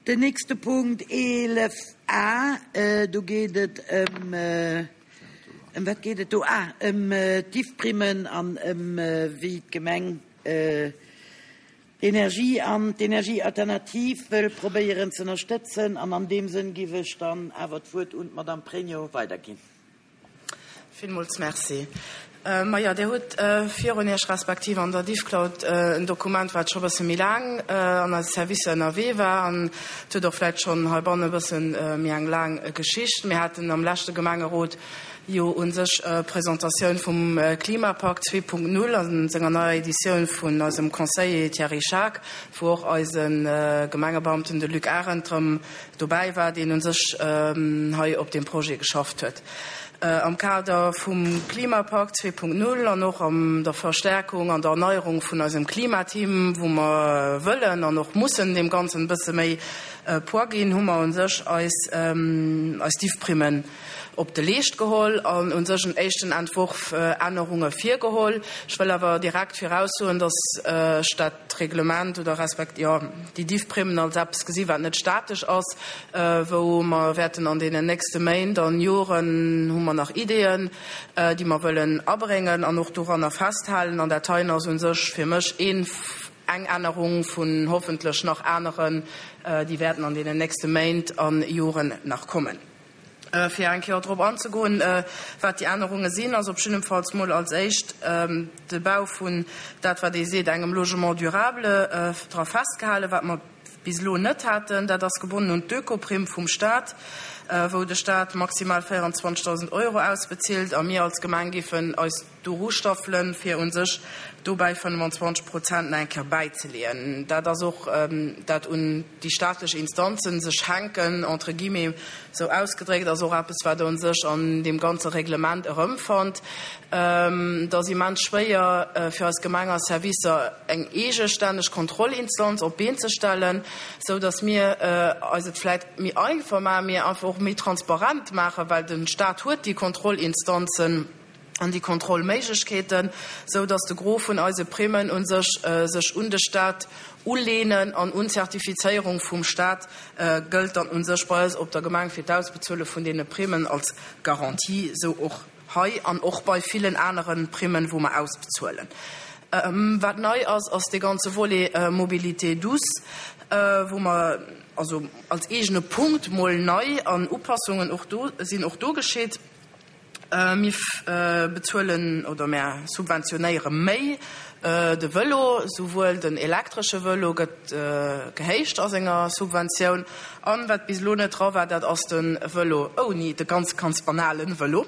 Den nächste Punkt 11 a, do geet et ëm, ëm wat geet et do? Ah, ëm d'Diffprimmen an ëm wéi d'Gemeng d'Energie an d'Energiealternativ wëll probéieren z'ënnerstëtzen. An an deem Sënn giff ech dann awer d'Wuert un d'Madame Pregno weiderginn. Villmools Merci. Majo, Dir hutt virun Iech, respektiv an der Diffcloud, en Dokument, wat scho e bësse méi laang an eise Servicer ënnerwee war. An et huet och vläicht schonn heibannen e bësse méi eng laang Geschicht. Mir haten am leschte Gemengerot jo u sech d'Presentatioun vum Klimapakt 2.0 a senger neier Editioun vun eisem Conseiller Thierry Schaack, wou och eise Gemengebeamten, de Luc Arendt, erëm dobäi war, deen u sech hei op deem Projet geschafft huet. Am Kader vum Klimapakt 2.0 an och an der Verstärkung an der Erneierung vun eisem Klimateam, wou mer wëllen an och mussen deem Ganzen e bësse méi Poids ginn, hu mer u sech eis eis Diffprimmen op de Leescht geholl an u sech en éischten Entworf Ännerunge virgeholl. Ech wëll awer direkt viraussoen, dass ech dat d'Reglement oder respekt, jo, déi Diffprimmen als eppes gesi wat net statesch ass, wou mer wäerten an deenen nächste Méint an Joren hu mer nach Ideeën, déi mer wëllen abréngen an och doranner festhalen. An dat heien ass u sech fir mech een, eng Ännerung vun hoffentlech nach aneren, déi wäerten an deenen nächste Méint a Joren nach kommen. Fir eng Kéier drop anzegoen, wat déi Ännerunge sinn, ass op jiddefalls mol als éischt de Bau vun dat, wat ee seet, engem Logement durable dra festgehalen, wat mer bis elo net haten. Dat ass gebonnen un d'Ökoprimm vum Stat, wou de Stat maximal 24.000 Euro ausbezilt a mir als Gemeng géifen eis doru staffelen, fir u sech dobäi 25 Prozent nach eng Kéier bäizeleeën. Dat ass och dat un déi staatlech Instanzen sech hänken, entre guillemets esou ausgedréckt, ass och eppes, wat Der u sech an deem ganze Reglement erëmfannt. Et ass immens schwéier fir eis Gemeng a Servicer eng eegestänneg Kontrollinstanz op d'Been ze stellen, esou datt mir eis et vläicht méi einfach maachen, mee einfach och méi transparent maachen, well de Stat huet déi Kontrollinstanzen. an déi Kontrollméiglechkeeten, sou datt de Gros vun eise Primmen u sech sech un de Stat uleenen an un d'Zertifizéierung vum Stat gëllt dann u sech bei eis op der Gemeng fir d'Ausbezuele vun deene Primmen als Garantie, sou och hei an och bei villen anere Primmen, wou mer ausbezuelen. Wat nei ass, ass dee ganze Volet Mobilité douce, wou mer also als eegene Punkt mol nei an Upassungen och do sinn och do geschitt. Mir bezuelen oder mär subventionéiere méi de Vëlo, souwuel den elektresche Vëlo gëtt gehéicht a senger Subventioun an wat bis elo net dra war, dat ass de Vëlo ouni, de ganz, ganz banalen Vëlo,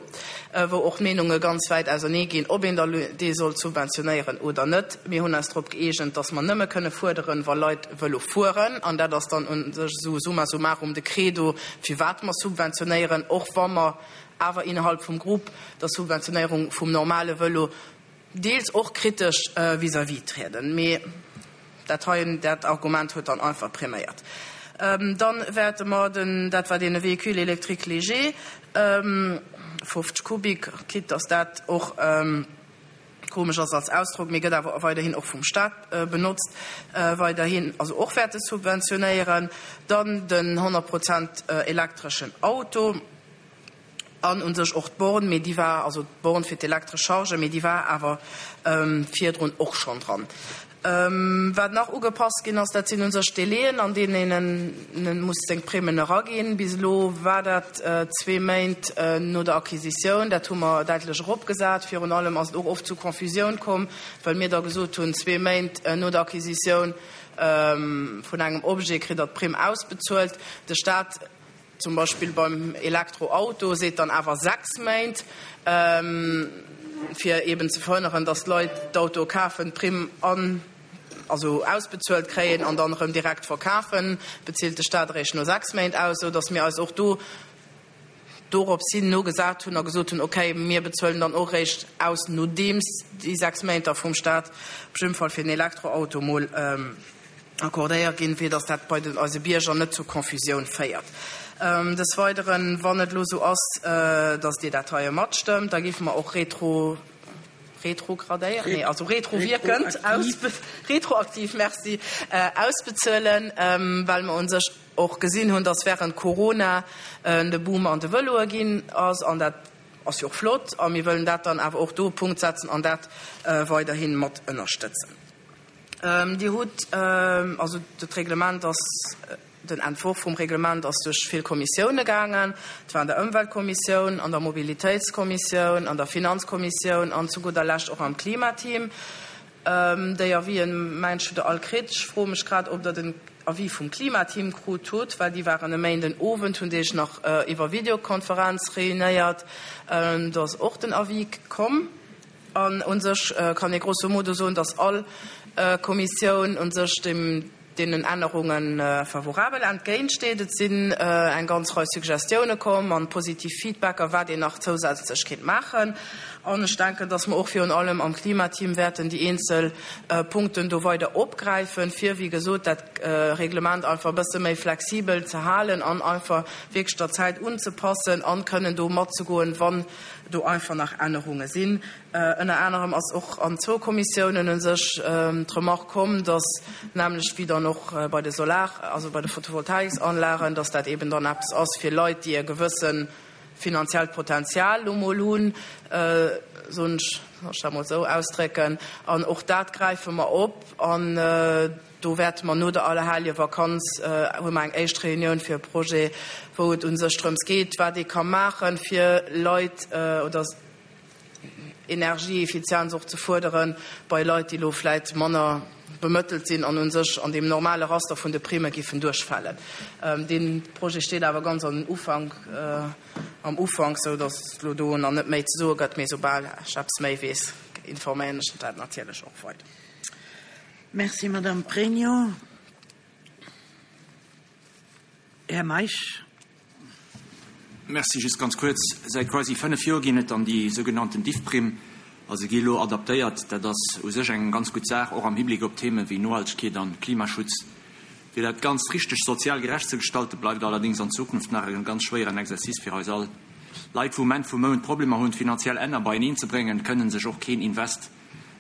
wou och d'Meenunge ganz wäit ausernee ginn, ob een da dee soll subventionéieren oder net. Mir hunn eis drop gëeegent, dass mer nëmme kënne fuerderen, wa Leit Vëlo fueren an dat ass dann u sech esou summa summarum de Credo, firwat mer subventionéieren, och wa mer awer innerhalb vum Grupp der Subventionéierung vum normale Vëlo deels och kritesch vis-à-vis trieden. Mee dat heien, dat Argument huet dann einfach priméiert. Dann wäerte mer den, dat war dee Véhicule électrique léger, 50 Kubik, quitte dass dat och komesch ass als Ausdrock, mee gëtt awer weiderhin och vum Stat benotzt, weiderhin also och wäerte subventionéieren. Dann den 100 Prozent elektreschen Auto. An u sech och d'Born, mee déi war, also d'Born fir d'elektresch Charge, mee déi war awer virdrun och schonn dran. Wat nach ugepasst ginn ass, dat sinn u sech d'Délaiën, an deenen een muss seng Primmen eraginn. Bis elo war dat zwee Méint no der Acquisitioun. Dat hu mer däitlech eropgesat. Virun allem ass et och oft zu Confusioun komm, well mir da gesot hunn, zwee Méint no der Acquisitioun vun engem Objet kritt Der d'Primm ausbezuelt. De Stat Zum Beispill beim Elektroauto seet dann awer 6 Méint, fir eben ze verhënneren, datt d'Leit d'Autoe kafen, d'Primm an also ausbezuelt kréien an dann erëm direkt verkafen, bezilt de Staat eréischt no 6 Méint aus, esou datt mir eis och do dorops hin nogesat hunn a gesot hunn, okay, mir bezuelen dann och eréischt aus, nodeems déi 6 Méint da vum Staat op jidde Fall fir den Elektroauto mol accordéiert ginn, fir dass dat bei den eise Bierger net zu Confusioun féiert. Des Weideren, wann et elo esou ass, dass Dir dat heie matstëmmt, da géife mer och retro. Retrogradéiert, nee, also retrowierkend, retroaktiv, merci, ausbezuelen, well mer u sech och gesinn hunn, dass während Corona de Boom an de Vëloe ginn ass an dat ass jo och flott a mir wëllen dat dann awer och do e Punkt setzen an dat weiderhi mat ënnerstëtzen. Dir hutt, also dat Reglement ass, Den Entworf vum Reglement ass duerch vill Kommissioune gaangen. Et war an der Ëmweltkommissioun, an der Mobilitéitskommissioun, an der Finanzkommissioun an zu gudder Lescht och am Klimateam. Déi Avisen, mengen ech, hutt Der all kritt. Ech froe mech grad, ob Der den Avis vum Klimateam krut hutt, well déi waren e Méinden Owend, hunn déi sech nach iwwer Videokonferenz réunéiert. Do ass och den Avis komm. An u sech kann ee grosso modo soen, dass all Kommissioun u sech dem, deenen Ännerunge favorabel entgéintsteet. Et sinn eng ganz Rei Suggestioune komm an positiv Feedbacker, wat een nach zousätzlech kéint maachen. An ech denken, dass mer och virun allem am Klimateam wäerten déi eenzel Punkten do weider opgräifen, fir, wéi gesot, dat Reglement einfach e bësse méi flexibel ze halen an einfach wierklech der Zäit unzepassen an kënnen do matzegoen, wann do einfach nach Ännerunge sinn. Ënner anerem ass och an zwou Kommissiounen u sech d'Remark komm, dass näamlech wéi dann och bei de Solar-, also bei de Photovoltaiksanlagen, dass dat eeben dann eppes ass fir Leit, déi e gewësse finanziellt Potenzial lo mol hunn, soen ech, soll ech dat mol esou ausdrécken. An och dat gräife mer op an do wäerte mer no der Allerheljevakanz, hu mer eng éischt Reunioun fir e Projet, wou et u sech drëms geet, wat ee ka maachen, fir Leit oder Energieeffizienz och ze fuerdere bei Leit, déi elo vläit manner bemëttelt sinn an u sech an deem normale Raster vun de Primme giffen duerchfalen. Dee Projet steet awer ganz an den Ufank, am Ufank, sou datt et elo do nach net méi ze soe gëtt. Mee soubal ech eppes méi weess, informéieren ech dat natierlech och weider. Merci, Madame Pregno. Här Meisch. Merci. Just ganz kuerz, Säit quasi fënnef Joer ginn et dann déi sougenannten Diffprimm. A se gi elo adaptéiert. Dat ass u sech eng ganz gutt Saach, och am Hibléck op Theeme wéi Nohaltegkeet an Klimaschutz. Fir dat Ganzt richteg sozial gerecht ze gestalten, bleift allerdéngs an Zukunft nach e ganz schwéieren Exercice fir eis all. Leit, wou um Enn vum Mount Problemer hunn, d'finanziell Enner beieneen ze bréngen, kënnen sech och keen Invest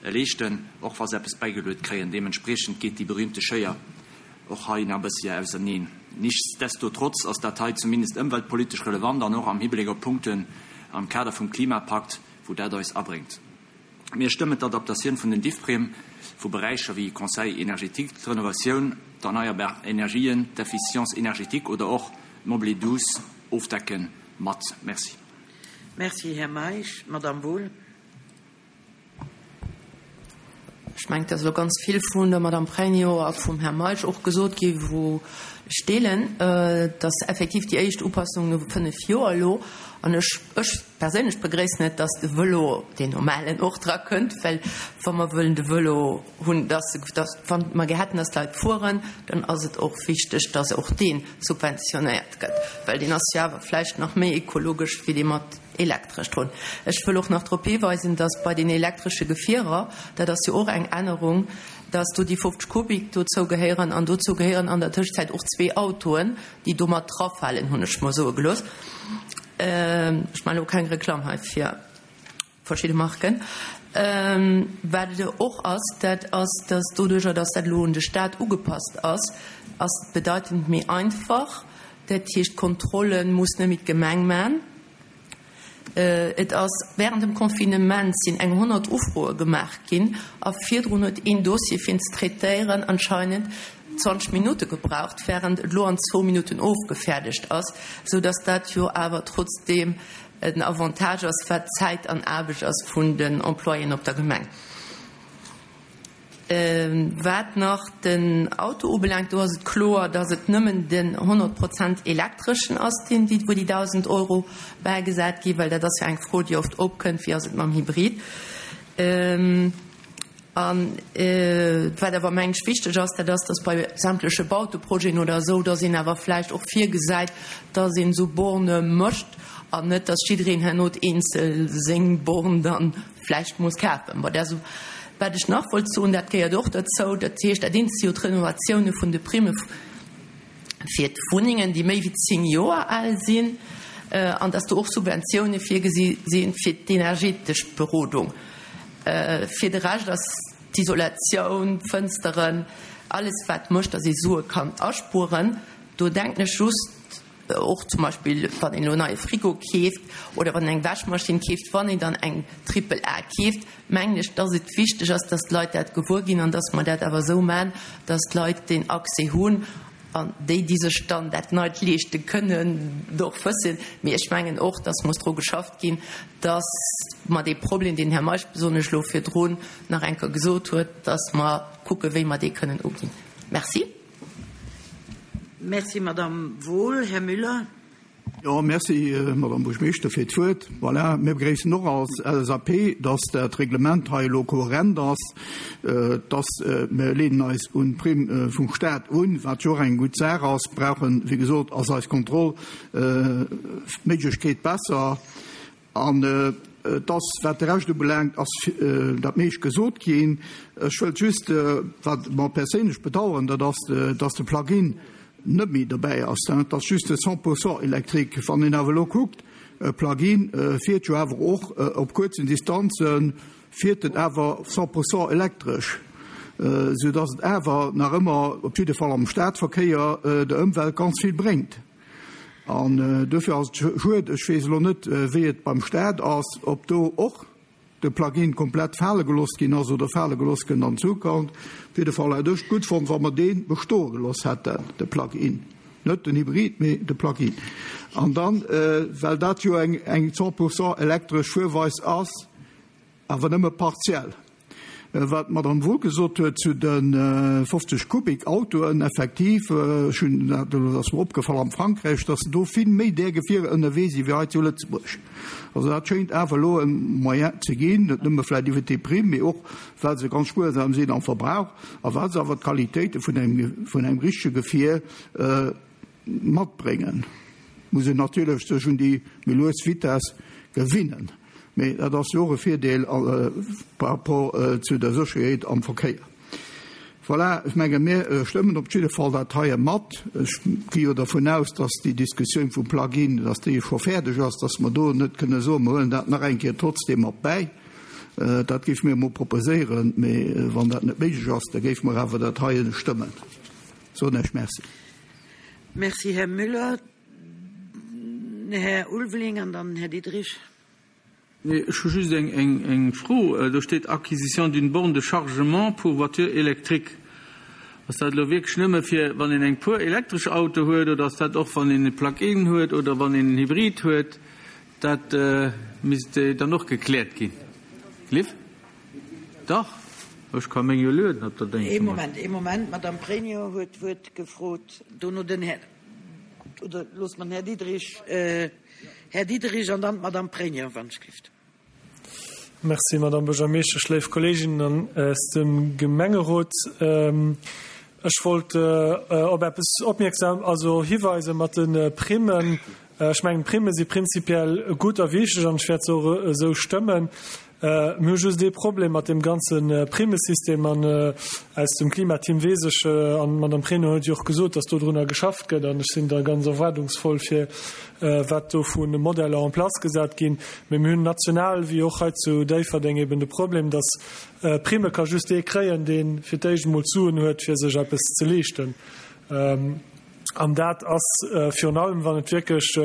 leeschten, och wa se eppes bäigeluet kréien. Deementspriechend geet déi berühmte Schéier och hei nach e bëssi auserneen. Nichtsdestotrotz ass dat hei zumindest ëmweltpolitesch relevant an och am Hibléck op Punkten am Kader vum Klimapakt, wou dat eis abréngt. Mir stëmmen d'Adaptatioun vun den Diffprime vu Beräicher wéi Conseil énergétique, d'Renovatioun, d'erneierbar Energien, d'Efficience énergétique oder och d'Mobile douce ofdecken mat. Merci. Merci, Här Meisch. Madamm Wohl. Ech mengen, et ass elo ganz vill vun der Madame Pregno a vum Här Meisch och gesot gi wou ech deelen, dass effektiv déi éischt Upassung no fënnf Joer elo, an ech, ech perséinlech begréissen et, dass de Vëlo, deen normalen, och dra kënnt, well wa mer wëllen de Vëlo hunn, dass, dass, wa mer gär hätten, dass d'Leit fueren, dann ass et och wichteg, dass och dee subventionéiert gëtt, well deen ass jo awer vläicht nach méi ekologesch wéi dee mat Elektresch drun. Ech wëll och nach drop hiweisen, dass bei den elektresche Gefierer, dat ass jo och eng Ännerung, dass do déi 50 Kubik dozou gehéieren an dozou gehéieren an der Tëschzäit och zwee Autoen, déi do mat drafalen, hunn ech mer soe gelooss. Ech maachen elo keng Reklamm hei fir verschidde Marken. Wat et och ass, dat ass, dass doduerjer, dass dat elo un de Stat ugepasst ass, ass et bedeitend méi einfach. Dat heescht, d'Kontrolle muss net méi d'Gemeng maachen. Et ass während dem Confinement sinn eng 100 Ufroe gemaach ginn a virdrun huet een Dossier fir en ze traitéieren anscheinend 20 Minutte gebraucht, während et elo an zwou Minutten ofgefäerdegt ass, sou dass dat jo awer trotzdeem en Avantage ass, wat Zäit an Aarbecht ass vun den Employéen op der Gemeng. Wat nach den Auto ubelaangt, do ass et kloer, dass et nëmmen den 100 Prozent elektreschen ass, deen, wou déi 1.000 Euro bäigesat ginn, well dat ass jo eng Fro, déi oft opkënnt, Wéi ass et mam Hybrid? A wat awer, mengen ech, wichteg ass, dat ass, dass bei sämtleche Bauteprojeten oder esou, dass een awer vläicht och virgesäit, dass een esou Bornë mécht an net, dass jiddereen herno eenzel seng Born dann vläicht muss kafen. Bon, dat wat ech nach wollt soen, dat gehéiert och derzou, dat heescht, dat eent si jo d'Renovatioune vun de Primme fir d'Wunnengen, déi méi wéi 10 Joer al sinn, an dass do och Subventioune virgesi si fir d'energetesch Berodung. Fir de Rescht ass d'Isolatioun, d'Fënsteren, alles wat mécht, datt ee Sue kann aspueren. Do denken ech just och zum Beispill, wann een elo en neie Frigo keeft oder wann een eng Wäschmaschinn keeft, wann een dann eng Triple A keeft, mengen ech, datt et wichteg ass, datt d'Leit dat gewuer ginn an datt mer dat awer esou maachen, datt d'Leit deen Accès hunn an déi, déi sech dann dat Neit leeschte kënnen, och wëssen. Mee ech mengen och, datt muss dru geschafft ginn, datt mer dee Problem, deen den Här Meisch besonnesch elo virdrun nach eng Kéier gesot huet, datt mer kucken, wéi mer dee kënnen uginn. Merci. Merci, Madamm Wohl. Här Müller. Jo, merci, Madamm Buergermeeschter, fir d'Wuert. Voilà, mir begréissen och als LSAP, dass dat Reglement hei elo kohärent ass, dass mir leenen eis un d'Primm vum Stat un, wat jo och eng gutt Saach ass, brauchen, wéi gesot, ass eis Kontrollméiglechkeet besser. An et ass, wat de Rescht ubelaangt, ass dat meescht gesot ginn. Ech wëllt just, wat mer perséinlech bedauern, dat ass, dass de Plug-in net méi dobäi ass. Dat ass just de 100 pourcent électrique. Wann een awer elo kuckt, e Plug-in fiert jo awer och op kuerzen Distanzen, fiert en awer 100 pourcent elektresch, soudass et awer nach ëmmer, op jidde Fall am Stadverkéier, der Ëmwelt ganz vill bréngt. An duerfir ass et schued, ech weess elo net, wéi et beim Stat ass, ob do och de Plug-in komplett fale gelooss ginn ass oder fale gelooss gëtt an Zukunft. Op jidde Fall hätt ech et gutt fonnt, wa mer dee bestoe gelooss hätten, de Plug-in, net den Hybrid, mee de Plug-in. An dann, well dat jo eng 100 pourcent elektresch Fuerweis ass, Awer nëmme partiell. Wat d'Madame Wohl gesot huet zu de 50 Kubik Autoen, effektiv, ech hunn dat elo, dat ass mer opgefall am Frankräich, datt do vill méi där Gefierer ënnerwee si wéi hei zu Lëtzebuerg. Also dat schéint awer elo e Moyen ze ginn, net nëmme vläicht iwwert déi Primm, mee och well se ganz spuersam sinn am Verbrauch a well se awer d'Qualitéite vun engem, vun engem richtege Gefier matbréngen. Muss een natierlech sech un déi méi lues Vitess gewinnen. Mee dat ass jo och e Virdeel par rapport zu der Sécherheet am Verkéier. Voilà, ech menge mir stëmmen op jidde Fall dat heie mat. Ech gi jo dervun aus, dass déi Diskussioun vum Plug-in, dass déi scho fäerdeg ass, dass mer do net kënne soen, mer huelen dat nach eng Kéier trotzdeem mat bäi. Dat géife mir emol proposéieren. Mee wann dat net méiglech ass, da géife mer awer dat heie stëmmen. Soen Iech Merci. Merci, Här Müller. Här Ulveling an dann Här Diderich. Nee, ech hu just eng Fro. Do steet Acquisition d'une borne de chargement pour voitures électriques. Ass dat elo wierklech nëmme fir, wann een eng puer elektresch Auto huet, oder ass dat och, wann een e Plug-in huet oder wann een en Hybrid huet? Dat misst dann och gekläert ginn. Liv? Dach, ech ka meng jo lueden op der Déng. Ee Moment, ee Moment, d'Madame Pregno huet d'Wuert gefrot, dono den Här. Oder loosse mer den Här Diderich, Här Diderich an dann d'Madame Pregno, wann ech gelift. Merci, Madame Buergermeeschtesch, léif Kolleeginnen aus dem Gemengerot. Ech wollt op eppes opmierksam, also hiweise mat de Primmen. Ech mengen, d'Primme si prinzipiell gutt a wichteg an ech wäert se och esou stëmmen. Mir hu just ee Problem mat deem ganze Primmesystem an aus dem Klimateam weess ech, an d'Madame Pregno huet jo och gesot, dass dodrunner geschafft gëtt an ech sinn da ganz erwaardungsvoll fir wat do vu Modeller en place gesat ginn. Mee mir hunn national wéi och hei zu Déifferdeng eben de Problem, dass Primme ka just dee kréien, dee fir d'éischt emol d'Suen huet fir sech eppes ze leeschten. An dat ass virun allem, wann et wierklech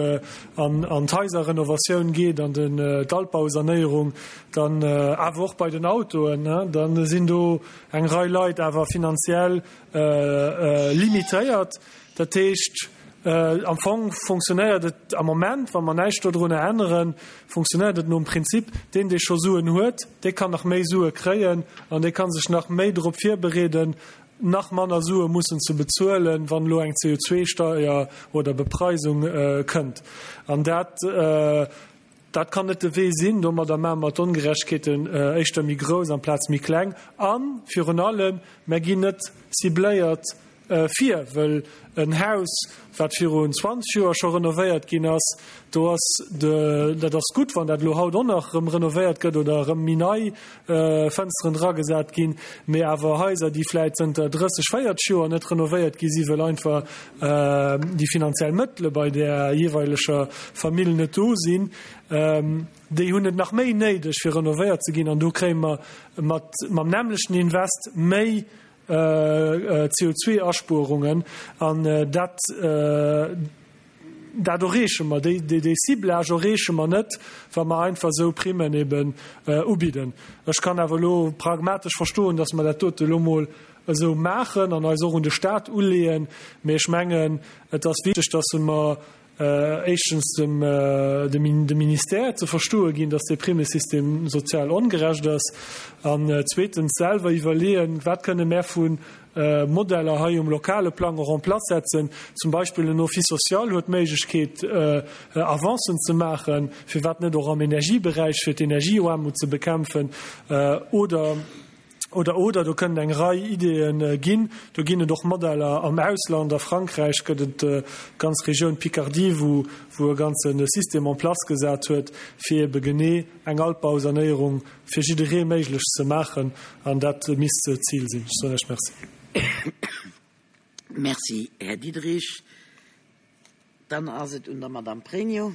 an d'Haiserrenovatioun geet, an d'Altbausanéierung, dann awer och bei den Autoen, da sinn do eng Rei Leit awer finanziell limitéiert. Dat heescht, am Fong funktionéiert et am Moment, wa mer näischt dodrunner änneren, funktionéiert et nom Prinzip, deen, dee scho Suen huet, dee kann nach méi Sue kréien an dee ka sech nach méi drop virbereeden, nach manner Sue mussen ze bezuelen, wann elo eng CO2-Steuer oder Bepreisung kënnt. An dat, dat kann net de Wee sinn. Domadder maache mer d'Ongerechtegkeeten éischter méi grouss amplaz méi kleng. A virun allem, mer ginn net cibléiert. vir, wëll en Haus, wat virun 20 Joer scho renovéiert ginn ass, do ass de, dat ass gutt, wann dat elo haut och nach erëm renovéiert gëtt oder erëm méi nei Fënsteren dragesat ginn, mee awer Haiser, déi vläit zënter 30, 40 Joer net renovéiert gi si wëll einfach déi finanziell Mëttele bei där jeeweileger Famill net do sinn, déi hunn et nach méi néideg, fir renovéiert ze ginn. An do kréie mer mat mam nämmlechten Invest méi CO2-Aspuerungen an dat dat erreeche mer, déi dee Ciblage erreeche mer net, wa mer einfach esou Primmen eben ubidden. Ech kann awer elo pragmatesch verstoen, datt mer dat dote elo mol esou maachen an eis och un de Stat uleeën, mee ech mengen, et ass wichteg, datt mer éischtens dem dem Ministère ze verstoe ginn, datt dee Primmesystem sozial ongerecht ass, an zweetens selwer iwwerleeën, wat kënne mär vu Modeller hei um lokale Plang och en place setzen. Zum Beispill en Office social huet d'Méiglechkeet, Avancen ze maachen, firwat net och am Energieberäich, fir d'Energieaarmut ze bekämpfen, oder Oder, oder, do kënnen eng Rei Ideeë ginn. Do ginn et och Modeller am Ausland. A Frankräich gëtt et d'ganz Regioun Picardie, wou, wou e ganze System en place gesat huet, fir ebe genee eng Altbausanéierung fir jidderee méiglech ze maachen. An dat misst d'Zil sinn. Ech soen Iech Merci. Merci, Här Diderich. Dann ass et un der Madame Pregno.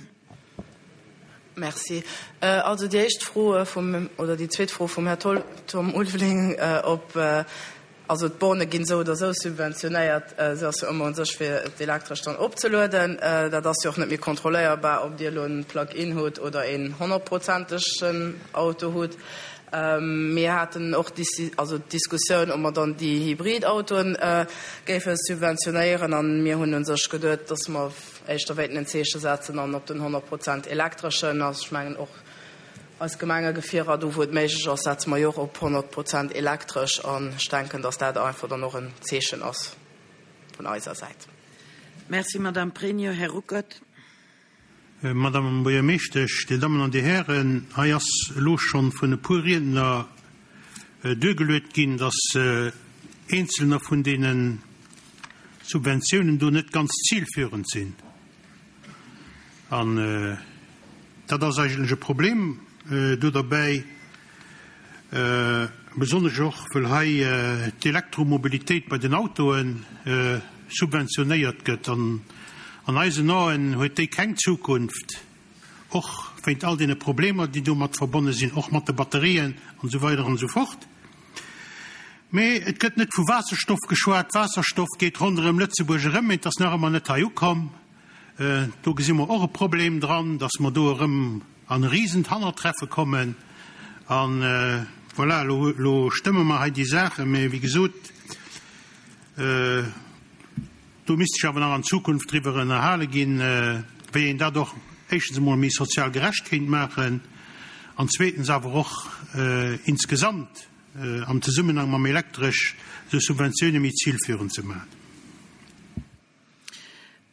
Merci. Also déi éischt Fro vum, oder déi zweet Fro vum Här Tom Ulveling, ob, also d'Borne ginn esou oder esou subventionéiert, se ass jo ëmmer un sech fir d'Elektresch dann opzelueden. Dat ass jo och net méi kontrolléierbar, ob Dir elo en Plug-in hutt oder een honnertprozentegen Auto hutt. Mir haten och d'Diskussioun, ob mer dann déi Hybridautoen géife subventionéieren. A mir hunn u sech geduet, dass mer éischter wéilten en Zeeche setzen an op den 100 Prozent elektreschen. Also ech mengen och eis Gemengegefierer, do wou et méiglech ass, setze mer jo och op 100 Prozent elektresch. An ech denken, dass dat einfach dann och en Zeechen ass vun eiser Säit. Merci, Madame Pregno. Här Ruckert. Madame Buergermeeschtesch, Dir Dammen an Dir Hären, hei ass elo schonn vun e puer Riedner duergeluet ginn, dass eenzelner vun deene Subventiounen do net ganz zilführend sinn. An dat ass eigentlech e Problem do derbäi. Besonnesch och, wëll hei d'Elektromobilitéit bei den Autoe subventionéiert gëtt. An an eisen Aen huet déi keng Zukunft, och wéint all deene Problemer, déi domat verbonne sinn, och mat de Batterien an esou weider an esou fort. Mee et gëtt net vu Waasserstoff geschwat. Waasserstoff geet ronderëm Lëtzebuerg erëm, mee et ass nach ëmmer net hei ukomm. Do gesi mer och e Problem dran, dass mer do erëm an e risent Hannertreffe kommen. A voilà, elo, elo stëmme mer hei déi Saachen, mä wéi gesot, do misst sech awer nach an Zukunft driwwer ënnerhale ginn, wéi een dat och éischtens emol méi sozial gerecht kéint maachen an zweetens awer och insgesamt am Zesummenhang mam Elektresch esou Subventioune méi zilführend ze maachen.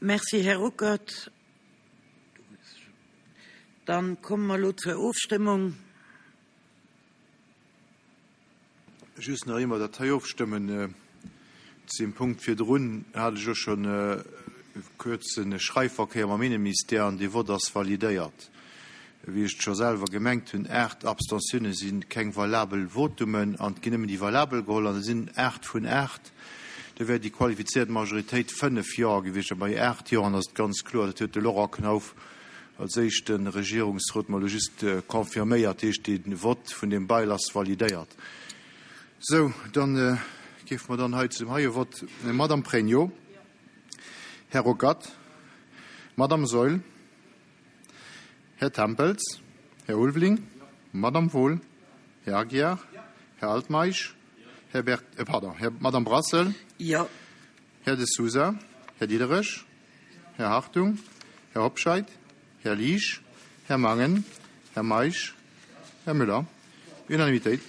Merci, Här Ruckert. Dann komme mer elo zur Ofstëmmung. Just nach ier mer dat hei ofstëmmen, zu deem Punkt virdrun hat ech och schonn e kuerze Schreifverkéier mam Inneministère an dee Vott ass validéiert. Wéi ech et scho selwer gemengt hunn, 8 Abstentiounen si keng valabel Votumen an et ginn nëmmen déi valabel geholl an et sinn 8 vun 8. Do wär déi qualifizéiert Majoritéit 5 Jo gewiescht a bei 8 Joen ass et ganz kloer, dat huet de Laurent Knauf als éischte Regierungsrot mer elo just confirméiert, dat heescht dee Vott vun deem Bail ass validéiert. Sou, da géife mer dann hei zu dem heie Vott. Madamm Pregno. Här Ruckert. Madamm Saeul. Här Tempels, Här Ulveling, Madame Wohl, Här Aguiar, Här Altmeisch, Här Bert, äh, pardon, Här, Madame Brassel, Jo. Här De Sousa, Här Diderich, Här Hartung, Här Hobscheit, Här Liesch, Här Mangen, Här Meisch, Här Müller. Unanimitéit.